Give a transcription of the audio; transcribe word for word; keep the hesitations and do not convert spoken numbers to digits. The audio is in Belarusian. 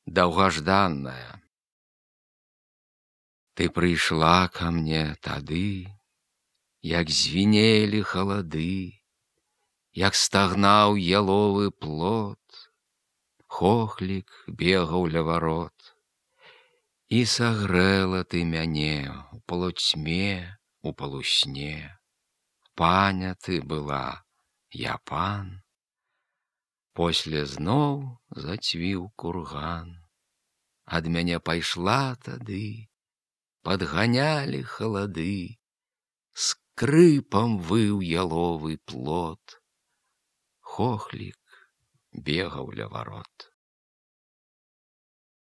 даўгажданная. Ты прыйшла ка мне тады, як звінелі халады, як стагнаў яловы плот, хохлік бегаў ля варот. І сагрэла ты мяне у полуцьме, у полусне. Паня ты была, я пан. После зноў зацвіў курган. Ад мяне пайшла тады, падганялі халады, скрыпам выў яловы плот, хохлік бегаў ля варот.